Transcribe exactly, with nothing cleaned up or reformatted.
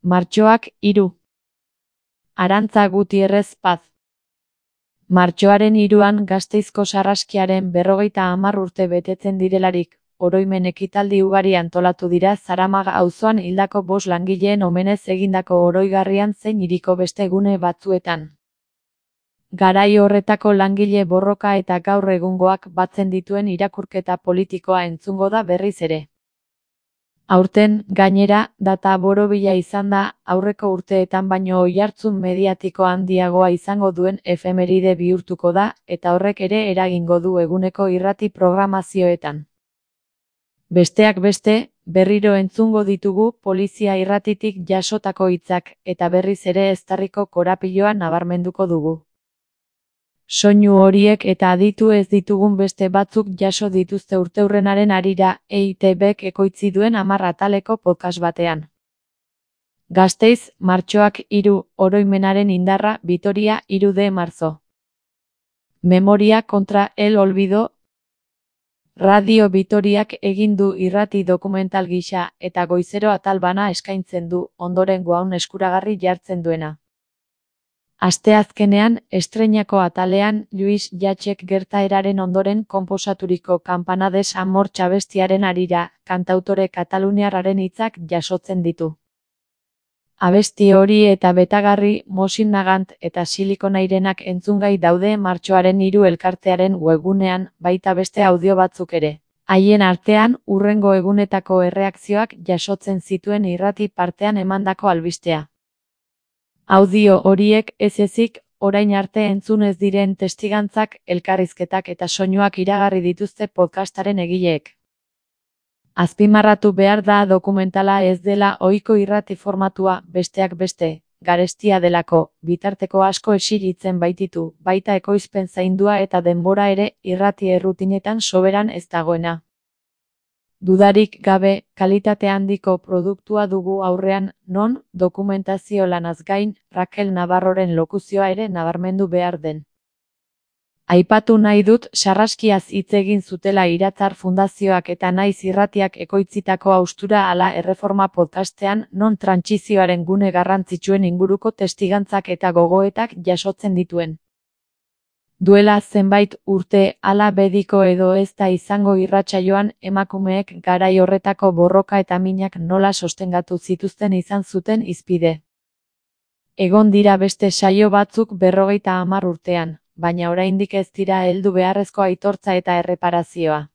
Martxoak hiru. Arantza Gutierrez Paz. Martxoaren hiruan Gasteizko Sarraskiaren berrogeita hamar urte betetzen direlarik, oroimen ekitaldi ugari antolatu dira Zaramaga auzoan hildako bost langileen omenez egindako oroigarrian zein hiriko beste gune batzuetan. Garai horretako langile borroka eta gaur egungoak batzen dituen irakurketa politikoa entzungo da berriz ere. Aurten, gainera, data borobila izan da, aurreko urteetan baino oihartzun mediatiko handiagoa izango duen efemeride bihurtuko da, eta horrek ere eragingo du eguneko irrati programazioetan. Besteak beste, berriro entzungo ditugu polizia irratitik jasotako hitzak, eta berriz ere eztarriko korapiloa nabarmenduko dugu. Soinu horiek eta aditu ez ditugun beste batzuk jaso dituzte urteurrenaren harira, E I Te Bek ekoitzi duen hamar ataleko podcast batean. Gasteiz, martxoak hiru, oroimenaren indarra, Vitoria, hiru de marzo. Memoria contra el olvido. Radio Vitoriak egin du irrati dokumental gisa, eta goizero atal bana eskaintzen du, ondorengoan eskuragarri jartzen duena. Asteazkenean, estreinako atalean, Luis Jatxek gertaeraren ondoren konposaturiko Campanades Amor abestiaren harira, kantautore kataluniarraren hitzak jasotzen ditu. Abesti hori eta betagarri, Mosin Nagant eta Silikonairenak entzungai daude martxoaren hiru elkartearen webgunean, baita beste audio batzuk ere. Haien artean, hurrengo egunetako erreakzioak jasotzen zituen irrati partean emandako albistea. Audio horiek ez ezik, orain arte entzun ez diren testigantzak, elkarrizketak eta soinuak iragarri dituzte podcastaren egileek. Azpimarratu behar da dokumentala ez dela ohiko irrati formatua, besteak beste, garestia delako, bitarteko asko esiritzen baititu, baita ekoizpen zaindua eta denbora ere, irrati errutinetan soberan ez dagoena. Dudarik gabe, kalitate handiko produktua dugu aurrean, non, dokumentazio lanaz gain, Raquel Navarroren lokuzioa ere nabarmendu behar den. Aipatu nahi dut, Sarraskiaz hitz egin zutela Iratzar Fundazioak eta Naiz Irratiak ekoitzitako haustura ala erreforma podcastean, non trantsizioaren gune garrantzitsuen inguruko testigantzak eta gogoetak jasotzen dituen. Duela zenbait urte, ala bediko edo ez da izango irratsaioan, emakumeek garai horretako borroka eta minak nola sostengatu zituzten izan zuten hizpide. Egon dira beste saio batzuk berrogeita hamar urtean, baina oraindik ez dira heldu beharrezko aitortza eta erreparazioa.